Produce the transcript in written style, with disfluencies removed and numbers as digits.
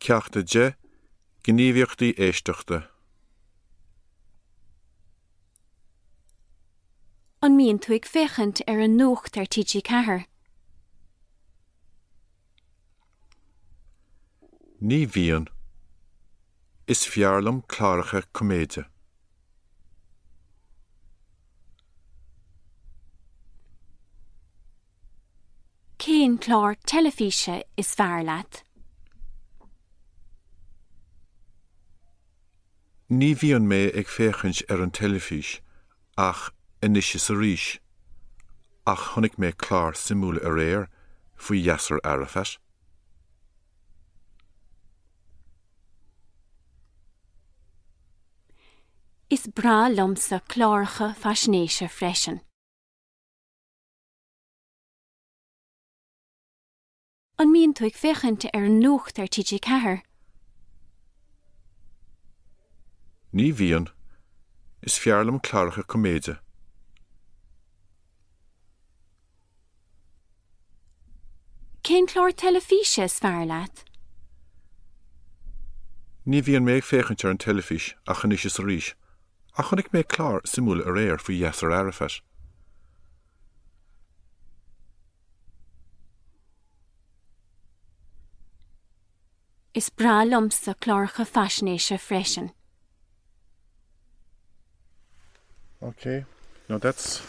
Ceacht 10, Gníomhaíochtaí Éisteachta. An mbíonn tú ag féachaint ar an nuacht ar TG4? Ní bhíonn. Is fearr liom cláracha coiméide. Cén clár teilifíse is fearr leat? Ní bhíonn mé ag féachaint ar an teilifís ach anois is arís, ach chonaic mé clár suimiúil aréir faoi Yasser Arafat. Is breá liomsa cláracha faisnéise freisin. An mbíonn tú ag féachaint ar an nuacht ar TG4? Ní bhíonn. Is fearr liom cláracha coiméide. Cén clár teilifíse is fearr leat? Ní bhíonn mé ag féachaint ar an teilifís ach anois is arís, ach chonaic mé clár suimiúil aréir faoi Yasser Arafat. Is breá liomsa cláracha faisnéise freisin. Okay, now that's.